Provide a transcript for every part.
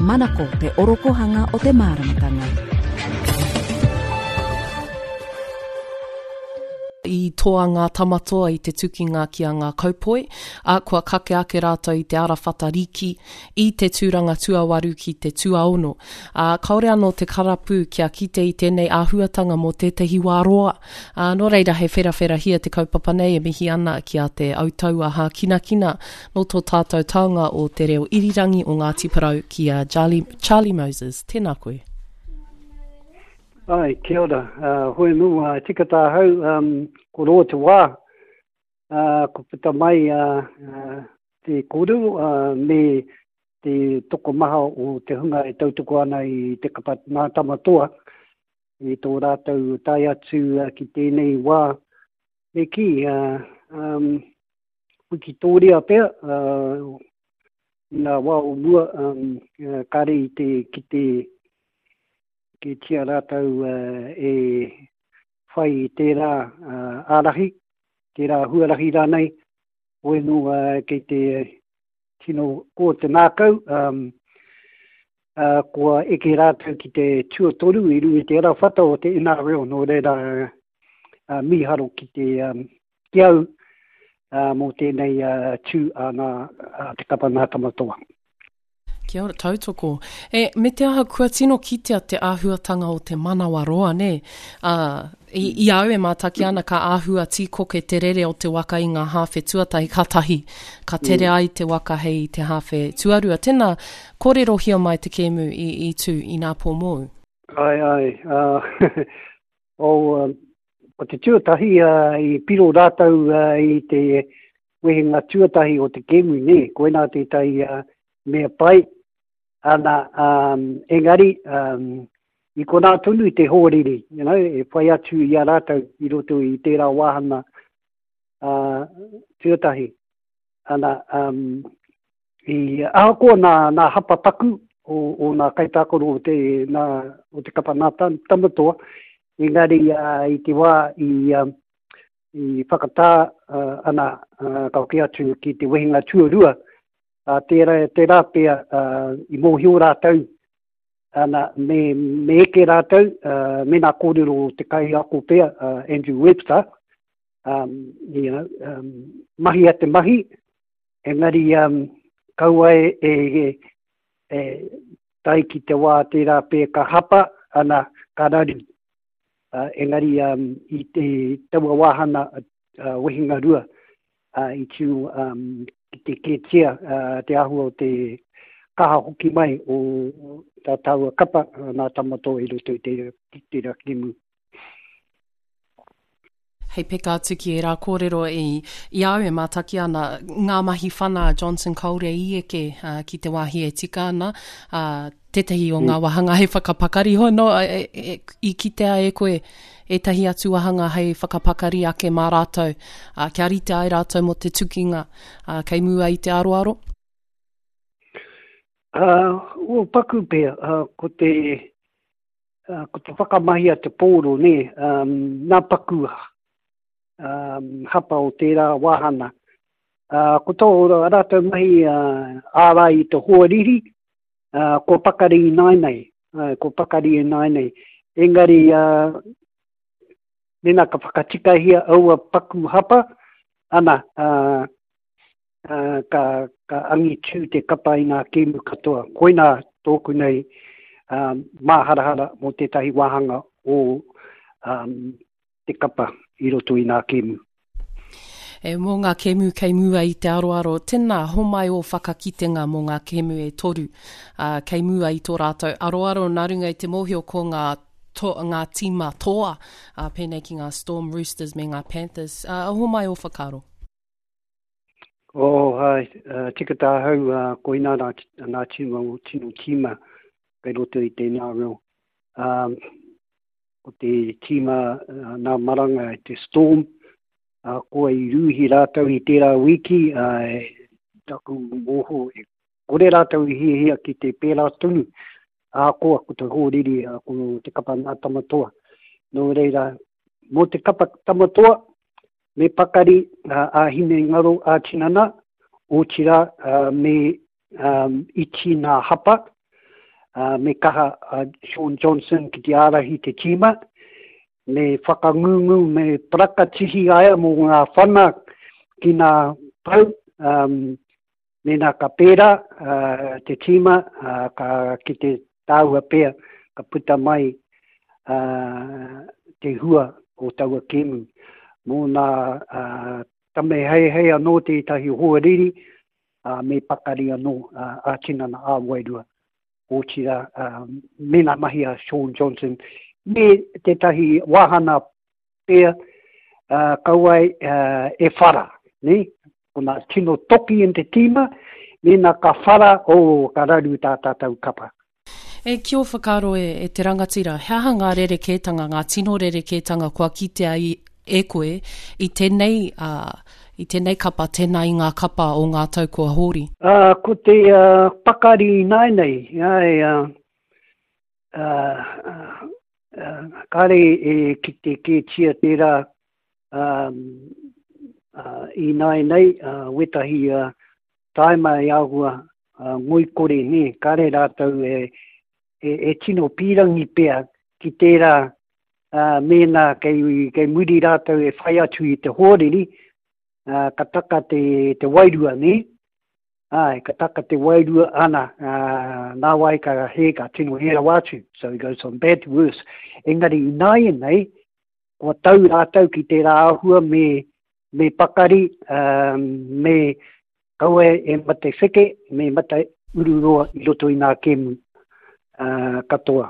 Manako te orokohanga o te māramatanga. I toa ngā tamatoa i te tukinga ki a Ngā Kaupoi, ā, kua kake ake rātou i te arawhata riki i te tūranga tuawaru ki te tuaono. Ā, kāore anō te karapu kia kite i tēnei āhuatanga mō tētahi wā roa. Ā, nō reira he wherawherahia te kaupapa nei e mihi ana ki a Te Autaua Hākinakina nō tō tātou taonga o te reo irirangi o Ngāti Porou ki a Charlie, Charlie Moses. Tēnā koe. Ai, kia ora. Uh, hoi nō, uh, tika tāhau, um, ko roa te wā, uh, ko puta mai uh, uh, te kōrero uh, me te tokomaha o te hunga e tautoko ana i te kapa Ngā Tamatoa i tō rātou tae atu uh, ki tēnei wā. Me kī, uh, um, wikitōria pea, uh, i ngā wā o mua, um, uh, kāre i te ki te kētia rātou uh, e whai i tērā uh, ārahi, tērā huarahi rānei, hoi nō uh, kei te tino ko te ngākau, um, uh, kua eke rātou ki te tuatoru i runga i te arawhata o te NRL, nō reira uh, mīharo ki te um, ki au uh, mō tēnei uh, tū a ngā, a te kapa Ngā Tamatoa. Kia ora, tautoko. E, me te aha, kua tino kitea te āhuatanga o te manawa roa, nē? Ā, i, i a au e mātaki ana, ka āhua tīkoke te rere o te waka i ngā hāwhe tuatahi, kātahi, ka tere mm. ai te waka hei te hāwhe tuarua. Tēnā, kōrerohia mai te kēmu i, i tū inā pō mōu. Ai, ai. Uh, oh, um, ko te tuatahi uh, i piro rātou uh, i te wehenga tuatahi o te kēmu, nē, koinā tētahi uh, mea pai, ana, um, engari, um, i konā tonu te hōriri, you know, e whai atu i a rātou i roto i tērā wāhanga uh, tuatahi. Ana, um, i ahakoa nā, nā hapa paku o, o nā kaitākaro o te, nā, o te kapa nā tamatoa, engari uh, i te wā i, um, i whakatā uh, ana uh, ka hoki atu ki te wehenga tuarua, uh, tērā, tērā pea uh, i mōhio rātou, ana, me, me eke rātou, uh, me nā kōrero o te kaiako pea, uh, Andrew Webster, um, you know, um, mahi a te mahi, engari um, kaua e, e, e, e tae ki te wā tērā pea ka hapa, ana, ka raru. Uh, engari um, i te taua wāhana uh, wehenga rua uh, i tū um, ki te kētia uh, te āhua o te kaha hoki mai o tā tāua kapa uh, nā Tamatoa i roto i te, tērā kēmu. Hei peka atu ki ērā kōrero i, i a au e mātaki ana, ngā mahi whana a Johnson kāore i eke uh, ki te wāhi e tika ana, uh, tētahi o ngā mm. wāhanga hei whakapakari hoi no, e, e, i kitea e koe ētahi atu wāhanga hei whakapakari ake mā rātou, uh, kia rite ai rātou mō te tukinga uh, kei mua i te aroaro? Uh, o paku pea, uh, ko te ko te whakamahi a te pōro, nē, um, nā paku um, hapa o tērā wāhana. Uh, ko tō rātou mahi uh, ārai i te hoariri, uh, kua pakari i nāinei, uh, kua pakari i nāinei. Engari, uh, mēnā ka whakatikahia aua paku hapa, ana, uh, ka, ka angitū te kapa i ngā kēmu katoa. Koinā tōku nei um, māharahara mō tētahi wāhanga o um, te kapa i roto i ngā kēmu. E, mō ngā kēmu kei mua i te aroaro, tēnā, homai ō whakakitenga mō ngā kēmu e toru uh, kei mua i tō rātou aroaro nā runga i te mōhio ko ngā, to, ngā tīma toa, uh, pēnei ki ngā Storm Roosters me ngā Panthers. Uh, homai ō whakaaro. Oh, hai, uh, tika tāhau, uh, koinā nā, nā tino, tino tīma kei roto i tēnā reo. Um, ko te tīma uh, nā maranga te Storm, uh, kua i rūhi rātou i tērā wiki, uh, taku mōho, e kore rātou i hiahia ki te pērā tonu, ahakoa ko te hōriri, uh, ko te kapa nā Tamatoa. Nō reira, mō te kapa Tamatoa, Me pakari ā-hinengaro, ā-tinana, otirā me iti nā hapa. Me kaha a Shaun Johnson ki te ārahi te tīma, me whakangungu, me parakatihi aia mō ngā whana ki ngā pau, mēnā ka pērā te tīma, ka kite tāua pea, ka puta mai te hua o taua kēmu. Mō nā Tameheihei anō tētahi hoariri, me pakari anō ā-tinana, ā-wairua. Otirā, me ngā mahi a Shaun Johnson, me tētahi wāhana pea, kaua e whara, nē? Ko ngā tino toki in te tīma, mēnā ka whara, oh, ka raru tā tātou kapa. E, ki ō whakaaro e, e te rangatira, he aha ngā rerekētanga, ngā tino rerekētanga kua kitea i, e koe i tēnei, uh, i tēnei kapa, tēnā i ngā kapa o ngā tau kua hori? Uh, ko te uh, pakari ināianei, ai, uh, uh, uh, kāre e kite kētia tērā um, uh, ināianei, uh, wētahi uh, Tāima e āhua ngoikore nē, kāre rātou e, e, e tino pīrangi pea ki tērā mēnā kei, kei muri rātou e whai atu i te hoariri, ka taka te, te wairua nē. Āe, ka taka te wairua ana, nāwai ka hē, ka tino hē rawa atu. So it goes from bad to worse. Engari ināianei, kua tau rātou ki tērā āhua me, me pakari, me kaua e mate wheke, me mate ururoa i roto i ngā kēmu katoa.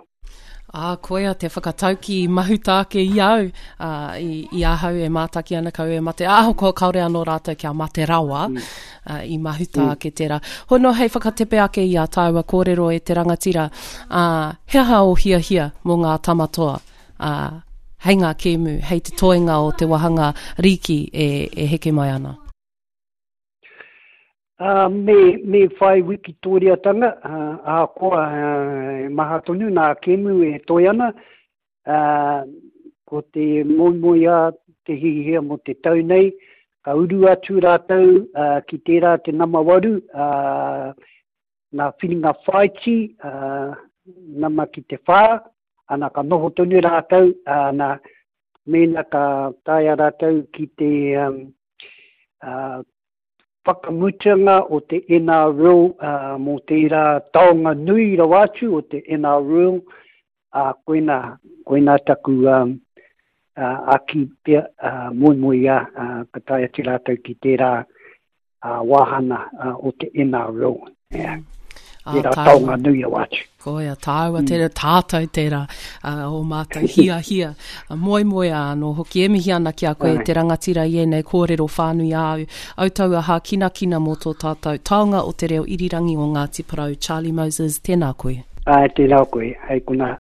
Ā, koia te whakataukī i mahuta ake i au, ā, i, i ahau e mātaki ana kau e mate, ahakoa kāore anō rātou kia mate rawa, mm. ā, i mahuta mm. ake tērā. Hono hei whakatepe ake i a tāua kōrero e te rangatira, ā, he aha o hiahia mō ngā tamatoa? ā, hei ngā kēmu, hei te toenga o te wāhanga rīki e, e heke mai ana. Uh, me, me whai wikitoriatanga, uh, ahakoa uh, maha tonu nā kēmu e toe ana, uh, ko te moemoeā te hihia mō te tau nei, ka uru atu rātou uh, ki tērā te nama waru, uh, ngā whiringa whāiti, uh, nama ki te whā, ana ka noho tonu rātou, ana mēnā ka taea rātou ki te um, uh, whakamutanga o te NRL uh, mō tērā taonga nui rawa atu o te NRL, uh, koina, koina taku um, uh, aki pea uh, moemoeā uh, ka tae atu rātou ki tērā wāhana o te NRL. Yeah. Ah, tērā taonga nui rawa atu. Koia, tāua mm. tērā, tātou tērā, uh, o mātou hia hia. Moemoeā anō hoki, e mihi ana ki a koe te rangatira i ēnei kōrero whānui āu. Au taua hākinakina mō tō tātou taonga o te reo irirangi o Ngāti Porou, Charlie Moses, tēnā koe. Āe, tēnā koe, hei konā.